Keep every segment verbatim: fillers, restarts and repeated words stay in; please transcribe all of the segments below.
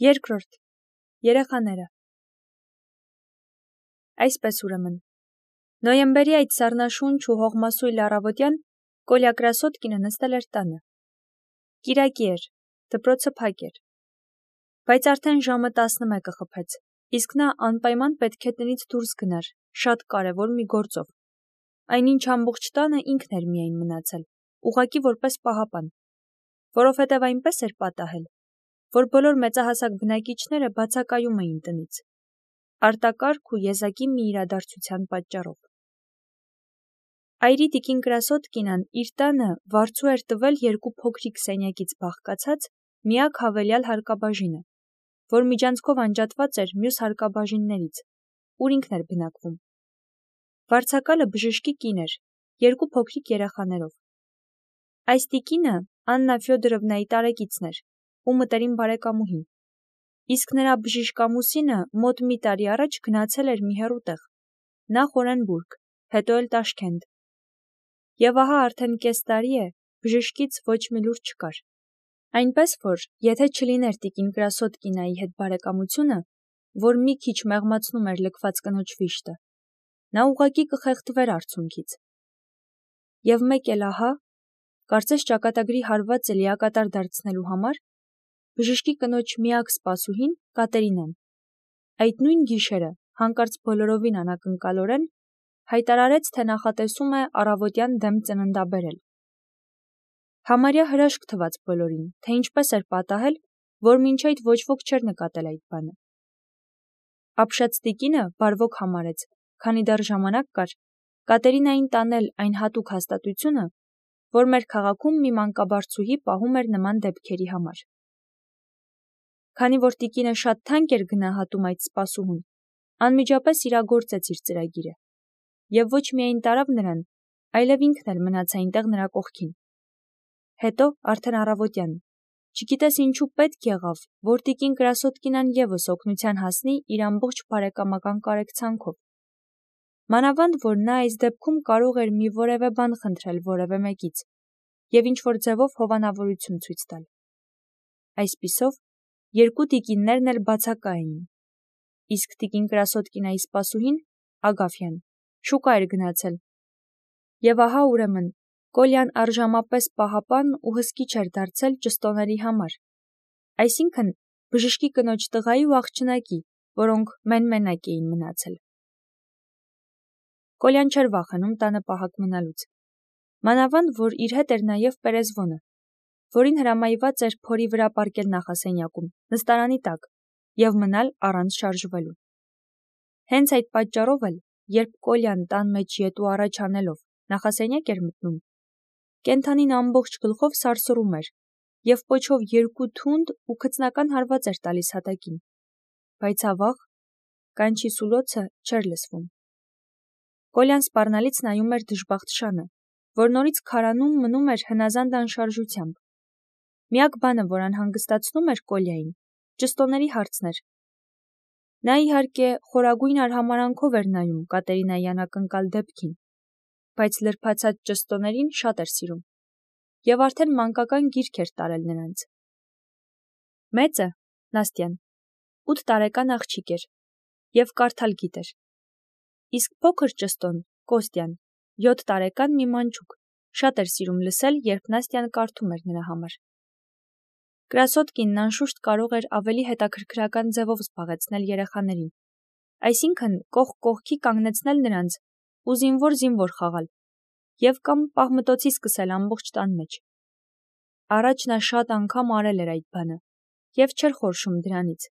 Երկրորդ. Երեխաները։ Այսպես ուրեմն։ Նոյեմբերի այդ սառնաշունչ ու հողմասույլ առավոտյան Կոլյա Կրասոդկինը նստել էր տանը։ Կիրակի էր, դպրոցը փակ էր։ Բայց արդեն ժամը տասնմեկը խփեց, իսկ նա անպայման պետք է տնից դուրս գնար, շատ կարևոր մի գործով։ Այնինչ ամբողջ տանը ինքն էր միայն մնացել, ուղղակի որպես պահապան, որովհետև այնպես էր պատահել, որ բոլոր մեծահասակ բնակիչները բացակայում էին տնից, արտակարգ ու եզակի մի իրադարձության պատճառով։ Այրի տիկին Կրասոդկինան իր տանը վարձու էր տվել երկու փոքրիկ սենյակից բաղկացած միակ հավելյալ հարկաբաժինը, որ միջանցքով անջատված էր մյուս հարկաբաժիններից, ուր ինքն էր բնակվում։ Վարձակալը բժշկի կին էր, երկու փոքրիկ երեխաներով։ Այս տիկինը Աննա Ֆյոդորովնայի տարեկիցն էր ու մտերիմ բարեկամուհին, իսկ նրա բժիշկամուսինը մոտ մի տարի առաջ գնացել էր մի հեռու տեղ, նախ Օրենբուրգ, հետո էլ Տաշքենտ։ Եվ ահա արդեն կես տարի է բժշկից ոչ մի լուր չկար։ Այնպես որ, եթե չլիներ տիկին Կրասոդկինայի հետ բարեկամությունը, որ մի քիչ մեղմացնում էր լքված կնոջ վիշտը, նա ուղղակի կխեղդվեր արցունքից։ Եվ մեկ էլ ահա, կարծես ճակատագրի հարվածը լիակատար դարձնելու համար, բժշկի կնոջ միակ սպասուհին Կատերինան, այդ նույն գիշերը, հանկարծ բոլորովին անակնկալորեն, հայտարարեց, թե նախատեսում է առավոտյան դեմ ծննդաբերել։ Համարյա հրաշք թվաց բոլորին, թե ինչպես էր պատահել, որ մինչ այդ ոչ ոք չէր նկատել այդ բանը։ Ապշած տիկինը բարվոք համարեց, քանի դեռ ժամանակ կար, Կատերինային տանել այն հատուկ հաստատությունը, որ մեր քաղաքում մի մանկաբարձուհի պահում էր նման դեպքերի համար։ Քանի որ տիկինը շատ թանկ էր գնահատում այդ սպասուհուն, անմիջապես իրագործեց իր ծրագիրը, եւ ոչ միայն տարավ նրան, այլև ինքն էլ մնաց այնտեղ նրա կողքին։ Հետո, արդեն առավոտյան, չգիտես ինչու պետք եղավ, որ տիկին Կրասոդկինան եւս օգնության հասնի իր ամբողջ բարեկամական կարեկցանքով։ Մանավանդ, որ նա այս դեպքում կարող էր մի որևէ բան խնդրել որևէ մեկից եւ ինչ-որ ձևով հովանավորություն ցույց տալ։ Այսպիսով, երկու տիկիններն էլ բացակա էին, իսկ տիկին Կրասոդկինայի սպասուհին, Ագաֆյան, շուկա էր գնացել։ Եվ ահա ուրեմն, Կոլյան առժամապես պահապան ու հսկիչ էր դարձել ճստոների համար, այսինքն բժշկի կնոջ տղայի ու աղջնակի, որոնք մեն-մենակ էին մնացել։ Կոլյան չէր վախենում տանը պահակ մնալուց, մանավանդ, որ իր հետ էր նաև Պերեզվոնը, որին հրամայված էր փորի վրա պառկել նախասենյակում, նստարանի տակ, եւ մնալ առանց շարժվելու։ Հենց այդ պատճառով էլ, երբ Կոլյան տան մեջ ետու առաջ անելով նախասենյակ էր մտնում, կենդանին ամբողջ գլխով սարսռում էր եւ պոչով երկու թունդ ու քծնական հարված էր տալիս հատակին, բայց ավաղ, կանչի սուլոցը չէր լսվում։ Կոլյան սպառնալից նայում էր դժբախտ շանը, որ նորից քարանում մնում էր հնազանդ անշարժությամբ։ Միակ բանը, որ անհանգստացնում էր Կոլյային, ճստոների հարցն էր։ Նա իհարկե խորագույն արհամարանքով էր նայում Կատերինայի անակնկալ դեպքին, բայց լրբացած ճստոներին շատ էր սիրում եւ արդեն մանկական գիրք էր տարել նրանց։ Մեծը, Նաստյան, ութ տարեկան աղջիկ էր եւ կարդալ գիտեր, իսկ փոքր ճստոն, Կոստյան, յոթ տարեկան մի մանչուկ, շատ էր սիրում լսել, երբ Նաստյան կարդում էր նրա համար։ Կրասոդկինն անշուշտ կարող էր ավելի հետաքրքրական ձևով զբաղեցնել երեխաներին, այսինքն կողք կողքի կանգնեցնել նրանց ու զինվոր-զինվոր խաղալ եւ կամ պահմտոցի սկսել ամբողջ տան մեջ։ Առաջ նա շատ անգամ արել էր այդ բանը եւ չէր խորշում դրանից,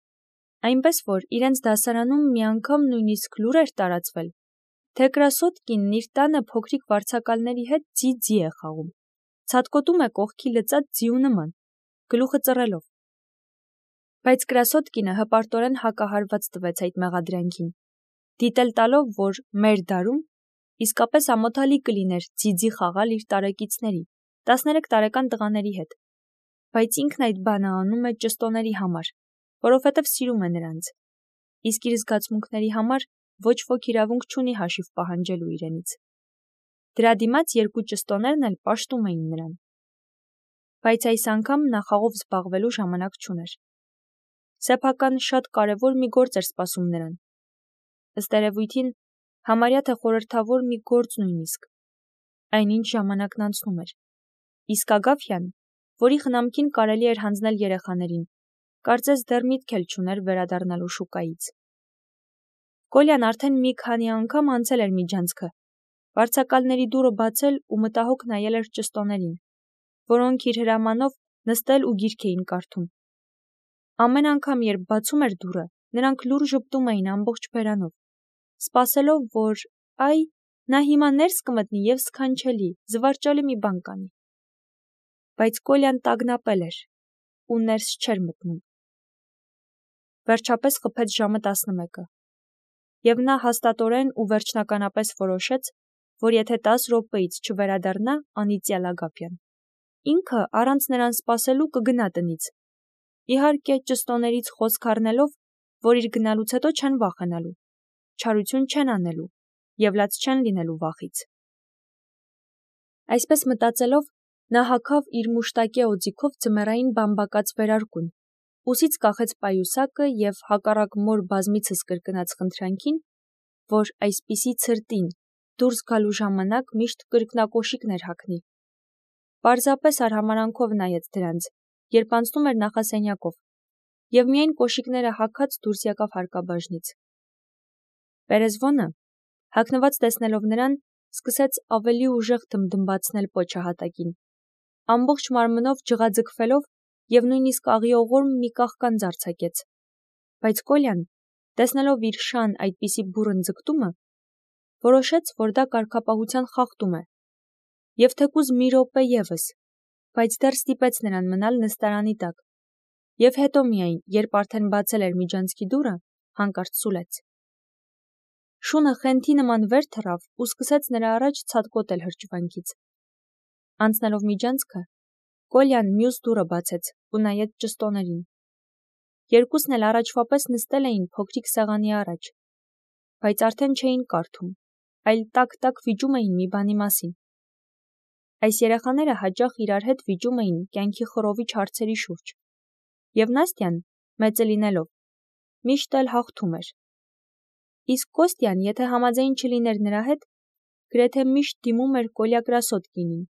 այնպես որ իրենց դասարանում մի անգամ նույնիսկ լուր էր տարածվել, թե Կրասոդկինն իր տանը փոքրիկ վարձակալների հետ ձի-ձի է խաղում, ցատկոտում է կողքի լծած ձիու նման, գլուխը ծռելով։ Բայց Կրասոդկինը հպարտորեն հակահարված տվեց այդ մեղադրանքին, դիտել տալով, որ մեր դարում իսկապես ամոթալի կլիներ ձի-ձի խաղալ իր տարեկիցների, տասներեք տարեկան տղաների հետ, բայց ինքն այդ բանը անում է ճստոների համար, որովհետև սիրում է նրանց, իսկ իր զգացմունքների համար ոչ ոք իրավունք չունի հաշիվ պահանջելու իրենից։ Դրա դիմաց երկու ճստոներն էլ պաշտում էին նրան։ Բայց այս անգամ նա խաղով զբաղվելու ժամանակ չուներ։ Սեփական շատ կարևոր մի գործ էր սպասում նրան։ Ըստ երևույթին, համարյա թե խորհրդավոր մի գործ նույնիսկ։ Այնինչ ժամանակն անցնում էր։ Իսկ Ագաֆյան, որի խնամքին կարելի էր հանձնել երեխաներին, կարծես դեռ միտք էլ չուներ վերադառնալու շուկայից։ Կոլյան արդեն մի քանի անգամ անցել էր միջանցքը, վարձակալների դուռը բացել ու մտահոգ նայել էր ճշտոներին, որոնք իր հրամանով նստել ու գիրք էին կարդում։ Ամեն անգամ, երբ բացում էր դուռը, նրանք լուռ ժպտում էին ամբողջ բերանով, սպասելով, որ այ նա հիմա ներս կմտնի և սքանչելի, զվարճալի մի բան կանի։ Բայց Կոլյան տագնապել էր ու ներս չէր մտնում։ Վերջապես խփեց ժամը տասնմեկը, և նա հաստատորեն ու վերջնականապես որոշեց, որ եթե տասը րոպեից չվերադառնա անիծյալ Ագափյան, ինքը առանց նրան սպասելու կգնա տնից, իհարկե ճշտոներից խոսք առնելով, որ իր գնալուց հետո չեն վախենալու, չարություն չեն անելու և լաց չեն լինելու վախից։ Այսպես մտածելով, նա հագավ իր մուշտակե օձիքով ձմեռային բամբակած վերարկուն, ուսից կախեց պայուսակը և հակառակ մոր բազմիցս կրկնած խնդրանքին, որ այսպիսի ցրտին դուրս գալու ժամանակ միշտ կրկնակոշիկներ հագնի, պարզապես արհամարհանքով նայեց դրանց, երբ անցնում էր նախասենյակով, և միայն կոշիկները հագած դուրս եկավ հարկաբաժնից։ Պերեզվոնը, հագնված տեսնելով նրան, սկսեց ավելի ուժեղ դմդմբացնել պոչահատակին, ամբողջ մարմնով ջղաձգվելով և նույնիսկ աղիողորմ մի կաղկանձ արձակեց, բայց Կոլյան, տեսնելով իր շան այդպիսի բուռն ձգտումը, որոշեց, որ դա կարգապահության խախտում է, և թեկուզ մի րոպե ևս, բայց դեռ ստիպեց նրան մնալ նստարանի տակ, և հետո միայն, երբ արդեն բացել էր միջանցքի դուռը, հանկարծ սուլեց։ Շունը խենթի նման վեր թռավ ու սկսեց նրա առաջ ցատկոտել հրճվանքից։ Անցնելով միջանցքը, Կոլյան մյուս դուռը բացեց ու նայեց ճշտոներին։ Երկուսն էլ առաջվա պես նստել էին փոքրիկ սեղանի առաջ, բայց արդեն չէին կարդում, այլ տակ-տակ վիճում էին մի բանի մասին։ Այս երեխաները հաճախ իրար հետ վիճում էին կյանքի խռովիչ հարցերի շուրջ, և Նաստյան, մեծը լինելով, միշտ էլ հաղթում էր։ Իսկ Կոստյան, եթե համաձայն չլիներ նրա հետ, գրեթե միշտ դիմում էր Կոլյա Կրասոտկինին,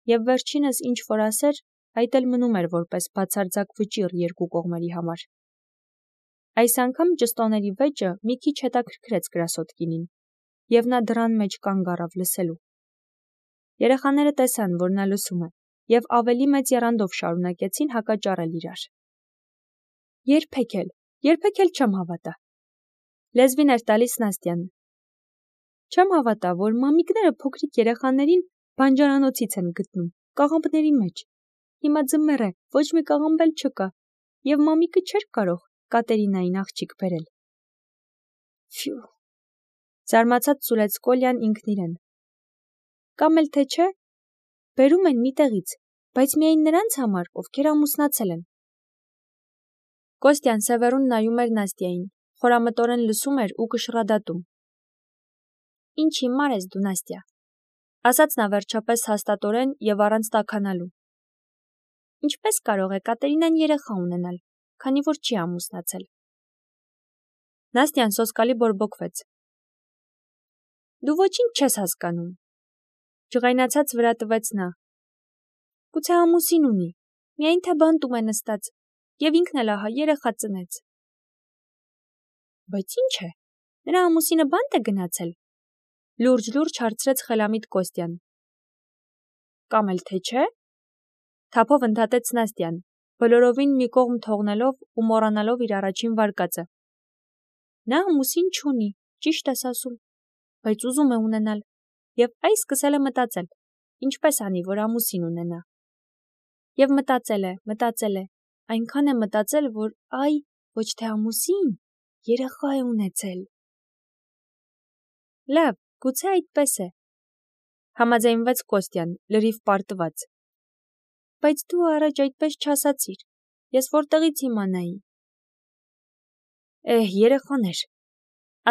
և վերջինս ինչ որ ասեր, այդ էլ մնում էր որպես բացարձակ վճիռ երկու կողմերի համար։ Այս անգամ ճշտոների վեճը մի քիչ հետաքրքրեց Կրասոտկինին, և նա դռան մեջ կանգ առավ լսելու։ Երեխաները տեսան, որ նա լսում է, և ավելի մեծ եռանդով շարունակեցին հակաճառել իրար։ Երբեք էլ, երբեք էլ չեմ հավատա, լեզվին էր տալիս Նաստյան։ Չեմ հավատա, որ մամիկները փոքրիկ երեխաներին բանջարանոցից են գտնում, կաղամբների մեջ։ Հիմա ձմեռ է, ոչ մի կաղամբ էլ չկա, և մամիկը չէր կարող Կատերինային աղջիկ բերել։ Ֆյու, զարմացած սուլեց Կոլյան ինքն իրեն։ Կամ էլ թե չէ, բերում են մի տեղից, բայց միայն նրանց համար, ովքեր ամուսնացել են։ Կոստյան սևեռուն նայում էր Նաստյային, խորամտորեն լսում էր ու կշռադատում։ Ինչ հիմար ես դու, Նաստյա, ասաց նա վերջապես հաստատորեն և առանց տաքանալու։ Ինչպես կարող է Կատերինան երեխա ունենալ, քանի որ չի ամուսնացել։ Նաստյան սոսկալի բորբոքվեց։ Դու ոչինչ չես հասկանում, ջղայնացած վրա տվեց նա։ Գուցե ամուսին ունի, միայն թե բանտում է նստած, և ինքն էլ ահա երեխա ծնեց։ Բայց ինչ է, նրա ամուսինը բանտ է գնացել, լուրջ-լուրջ հարցրեց խելամիտ Կոստյան։ Կամ էլ թե չէ, թափով ընդհատեց Նաստյան, բոլորովին մի կողմ թողնելով ու մոռանալով իր առաջին վարկածը։ Նա ամուսին չունի, ճիշտ ես ասում, բայց ուզում է ունենալ, և այ սկսել է մտածել, ինչպես անի, որ ամուսին ունենա։ Եվ մտածել է, մտածել է, այնքան է մտածել, որ այ, ոչ թե ամուսին, երեխա է ունեցել։ Լավ, գուցե այդպես է, համաձայնվեց Կոստյան, լրիվ պարտված։ Բայց դու առաջ այդպես չասացիր, ես որտեղից իմանայի։ Էհ, երեխաներ,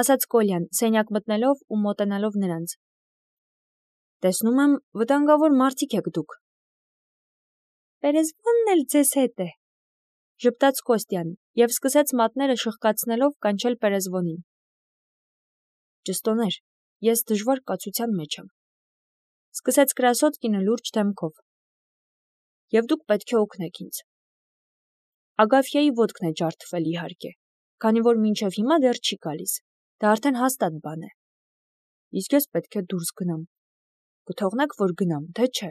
ասաց Կոլյան, սենյակ մտնելով ու մոտենալով նրանց։ Տեսնում եմ, վտանգավոր մարդիկ եք դուք։ Պերեզվոնն էլ ձեզ հետ է, ժպտաց Կոստյան և սկսեց մատները շխկացնելով կանչել Պերեզվոնին։ Ճստոներ, ես դժվար կացության մեջ եմ, սկսեց Կրասոտկինը լուրջ դեմքով։ Եվ դուք պետք է օգնեք ինձ։ Ագաֆյայի ոտքն է ջարդվել իհարկե, քանի որ մինչև հիմա դեռ չի գալիս, դա արդեն հաստատ բան է։ Իսկ ես պետք է դուրս գնամ։ Կթողնեք, որ գնամ, թե չէ։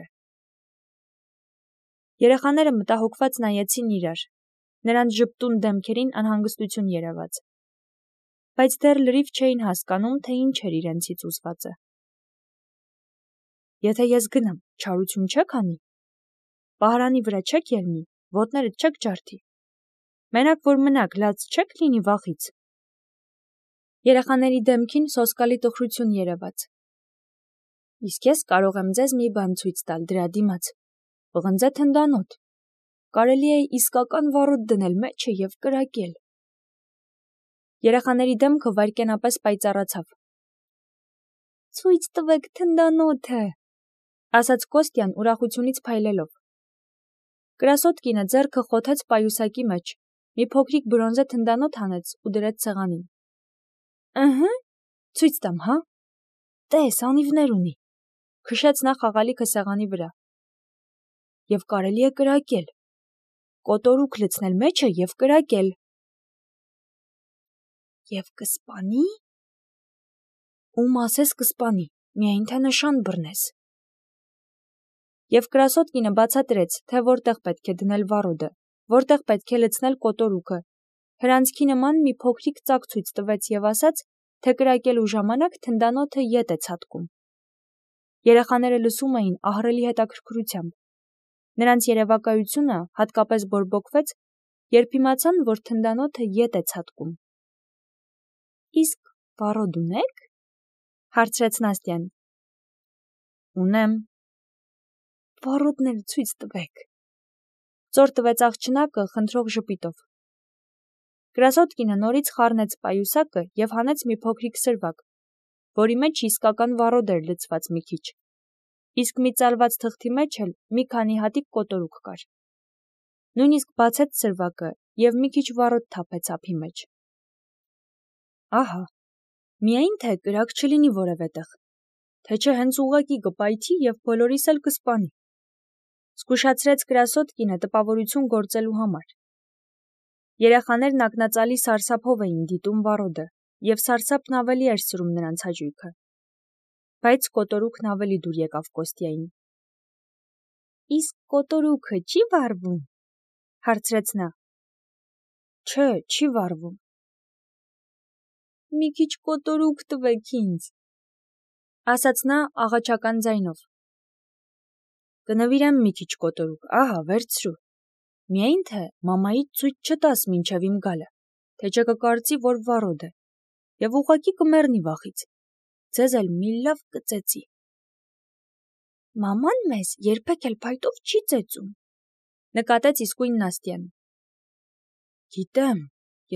Երեխաները մտահոգված նայեցին իրար, նրանց ժպտուն դեմքերին անհանգստություն երևաց։ Բայց դեռ լրիվ չէին հասկանում, թե ինչ էր իրենցից ուզվածը։ Եթե ես գնամ, չարություն չեք անի։ Պահարանի վրա չեք ելնի, ոտներդ չեք ջարդի։ Մենակ որ մնաք, լաց չեք լինի վախից։ Երեխաների դեմքին սոսկալի տխրություն երևաց։ Իսկ ես կարող եմ ձեզ մի բան ցույց տալ դրա դիմաց։ Պղնձե թնդանոթ։ Կարելի է իսկական վառոդ դնել մեջը և կրակել։ Երեխաների դեմքը վայրկենապես պայծառացավ։ Ցույց տվեք թնդանոթը, ասաց Կոստյան ուրախությունից փայլելով։ Կրասոտկինը ձեռքը խոթեց պայուսակի մեջ, մի փոքրիկ բրոնզե թնդանոթ հանեց ու դրեց սեղանին։ Ըհը, ցույց տամ, հա։ Տես, անիվներ ունի, քշեց նա խաղալիքը սեղանի վրա։ Եվ կարելի է կրակել։ Կոտորուկ լցնել մեջը և կրակել։ Եվ կսպանի։ Ում ասես կսպանի, միայն թե նշան բռնես։ Եվ Կրասոտկինը բացատրեց, թե որտեղ պետք է դնել վառոդը, որտեղ պետք է լցնել կոտորուկը, հրանցքի նման մի փոքրիկ ծակ ցույց տվեց և ասաց, թե կրակելու ժամանակ թնդանոթը ետ է ցատկում։ Երեխաները լսում էին ահռելի հետաքրքրությամբ։ Նրանց երևակայությունը հատկապես բորբոքվեց, երբ իմացան, որ թնդանոթը ետ է ցատկում։ Իսկ վառոդ ունեք, հարցրեց Նաստյան։ Ունեմ։ Վառոդները ցույց տվեք, ծոր տվեց աղջնակը խնդրող ժպիտով։ Կրասոտկինը նորից խառնեց պայուսակը և հանեց մի փոքրիկ սրվակ, որի մեջ իսկական վառոդ էր լցված մի քիչ, իսկ մի ծալված թղթի մեջ էլ մի քանի հատիկ կոտորուկ կար։ Նույնիսկ բացեց սրվակը և մի քիչ վառոդ թափեց ափի մեջ։ Ահա, միայն թե կրակ չլինի որևէտեղ, թե չէ հենց ուղղակի կպայթի և բոլորիս էլ կսպանի։ Զգուշացրեց Կրասոտկինը տպավորություն գործելու համար։ Երեխաներն ակնածալի սարսափով էին դիտում վառոդը, և սարսափն ավելի էր սրում նրանց հաճույքը։ Բայց կոտորուկն ավելի դուր եկավ Կոստյային։ Իսկ կոտորուկը չի վառվում, հարցրեց նա։ Չէ, չի վառվում։ Մի քիչ կոտորուկ տվեք ինձ, ասաց նա աղաչական ձայնով։ Կնվիրեմ մի քիչ կոտորուկ, ահա, վերցրու։ Միայն թե մամայիդ ցույց չտաս մինչև իմ գալը, թե չէ կկարծի, որ վառոդ է, և ուղղակի կմեռնի վախից։ Ձեզ էլ մի լավ կծեծի։ Մաման մեզ երբեք էլ փայտով չի ծեծում, նկատեց իսկույն Նաստյան։ Գիտեմ,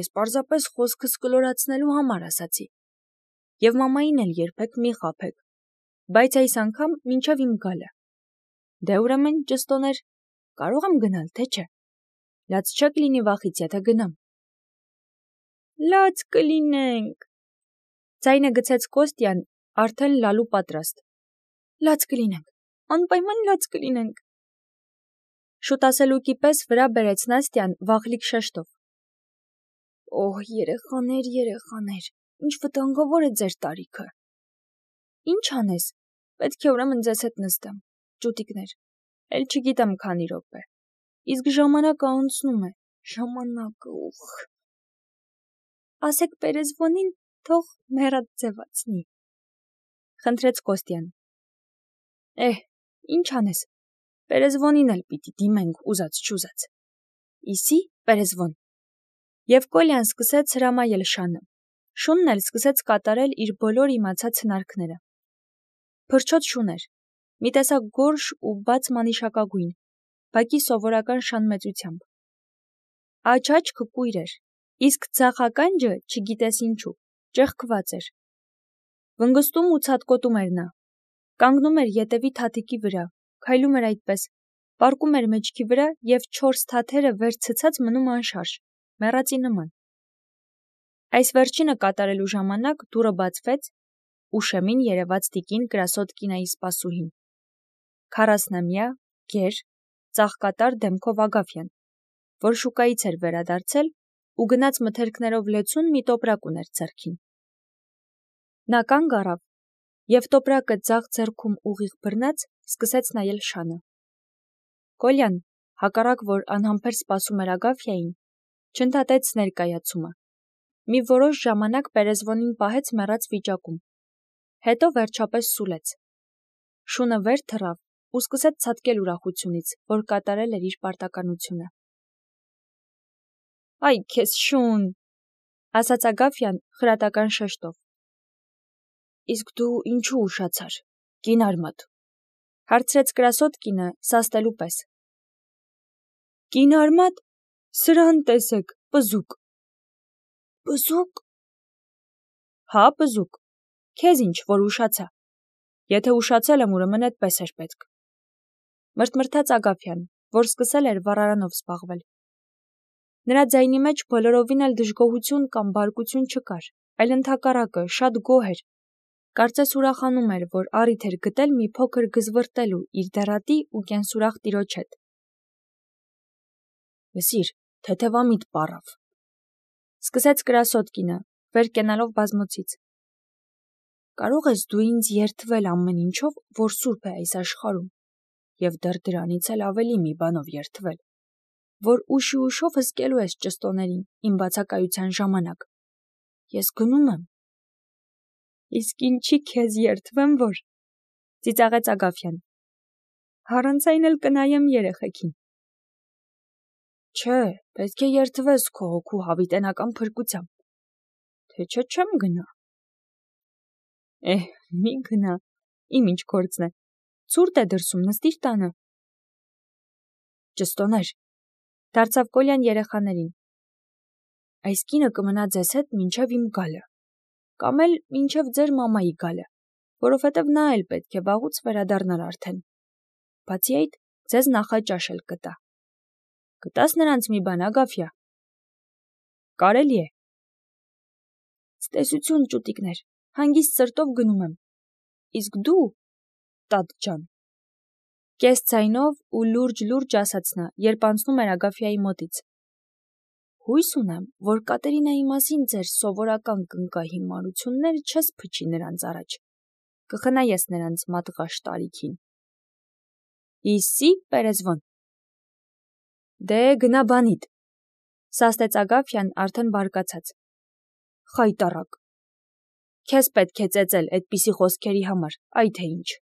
ես պարզապես խոսքս կլորացնելու համար ասացի։ Եվ մամային էլ երբեք մի խաբեք, բայց այս անգամ մինչև իմ գալը։ Դե ուրեմն, ճստոներ, կարող եմ գնալ, թե չէ։ Լաց չեք լինի վախից, եթե գնամ։ Լաց կլինենք, ձայնը գցեց Կոստյան, արդեն լալու պատրաստ։ Լաց կլինենք, անպայման լաց կլինենք։ Շուտասելուկի պես վրա բերեց Նաստյան վախլիկ շեշտով։ Օհ, երեխաներ, երեխաներ, ինչ վտանգավոր է ձեր տարիքը։ Ինչ անես, պետք է ուրեմն ձեզ հետ նստեմ, ճուտիկներ, էլ չգիտեմ քանի րոպե, իսկ ժամանակը անցնում է, ժամանակը, ուխ։ Ասեք Պերեզվոնին, թող մեռած ձևացնի, խնդրեց Կոստյան։ Էհ, ինչ անես, Պերեզվոնին էլ պիտի դիմենք ուզած չուզած։ Իսի, Պերեզվոն։ Եվ Կոլյան սկսեց հրամայել շանը։ Շունն էլ սկսեց կատարել իր բոլոր իմացած հնարքները։ Փրչոտ շուն էր, մի տեսակ գորշ ու բաց մանիշակագույն, բակի սովորական շան մեծությամբ։ Աջ-աջքը կույր էր, իսկ ձախ ականջը, չգիտես ինչու, ճեղքված էր։ Վնգստում ու ցատկոտում էր նա, կանգնում էր ետևի թաթիկի վրա, քայլում էր այդպես, պառկում էր մեջքի վրա և չորս թաթերը վեր ցցած մնում անշարժ, մեռածի նման։ Այս վերջինը կատարելու ժամանակ դուռը բացվեց ու շեմին երևաց տիկին Կրասոդկինայի սպասուհին։ Քառասնամյա, գեր, ծաղկատար դեմքով Ագաֆյան, որ շուկայից էր վերադարձել ու գնաց մթերքներով լեցուն մի տոպրակ ուներ ձեռքին։ Նա կանգ առավ և տոպրակը ձախ ձեռքում ուղիղ բռնած սկսեց նայել շանը։ Կոլյան, հակառակ որ անհամբեր սպասում էր Ագաֆյային, չընդհատեց ներկայացումը, մի որոշ ժամանակ Պերեզվոնին պահեց մեռած վիճակում, հետո վերջապես սուլեց, շունը վեր թռավ ու սկսեց ցատկել ուրախությունից, որ կատարել էր իր պարտականությունը։ «Այ քեզ շուն», ասաց Ագաֆյան խրատական շեշտով։ «Իսկ դու ինչու ուշացար, կին արմատ», հարցրեց Կրասոդկինը սաստելու պես։ «Կին արմատ, սրան տեսեք, պզուկ»։ «Պզուկ»։ Հա, պզուկ, քեզ ինչ, որ ուշացա, եթե ուշացել եմ, ուրեմն էդպես էր պետք։ Մրթմրթաց Ագաֆյան, որ սկսել էր վառարանով զբաղվել։ Նրա ձայնի մեջ բոլորովին էլ դժգոհություն կամ բարկություն չկար, այլ ընդհակառակը շատ գոհ էր, կարծես ուրախանում էր, որ առիթ էր գտել մի փոքր գզվռտելու իր դեռատի ու կենսուրախ տիրոջ հետ։ Լսիր, թեթևամիտ պառավ, սկսեց Կրասոդկինը, վեր կենալով բազմոցից։ Կարող ես դու ինձ երդվել ամեն ինչով, որ սուրբ է այս աշխարհում, և դեռ դրանից էլ ավելի մի բանով երդվել, որ ուշի ուշով հսկելու ես ճստոներին իմ բացակայության ժամանակ։ Ես գնում եմ։ Իսկ ինչի քեզ երդվեմ, որ, ծիծաղեց Ագաֆյան։ Առանց այն էլ կնայեմ երեխեքին։ Չէ, պետք է երդվես քո հոգու հավիտենական փրկությամբ, թե չէ չեմ գնա։ Էհ, մի գնա, իմ ինչ գործն է, ցուրտ է դրսում, նստիր տանը։ Ճստոներ, դարձավ Կոլյան երեխաներին։ Այս կինը կմնա ձեզ հետ մինչև իմ գալը, կամ էլ մինչև ձեր մամայի գալը, որովհետև նա էլ պետք է վաղուց վերադառնար արդեն։ Բացի այդ, ձեզ նախաճաշ էլ կտա։ Կտաս նրանց մի բան, Ագաֆյա։ Կարելի է։ Ցտեսություն, ճուտիկներ, հանգիստ սրտով գնում եմ։ Իսկ դու, տատ ջան։ Կես ձայնով ու լուրջ-լուրջ ասաց նա, երբ անցնում էր Ագաֆյայի մոտից։ Հույս ունեմ, որ Կատերինայի մասին ձեր սովորական կնկահիմարությունները չես փչի նրանց առաջ։ Կխնայես նրանց մատղաշ տարիքին։ Իսի, Պերեզվոն։ Դե գնա բանիդ, սաստեց Ագաֆյան արդեն բարկացած։ Խայտառակ։ Քեզ պետք է ծեծել այդպիսի խոսքերի համար, այ թե ինչ։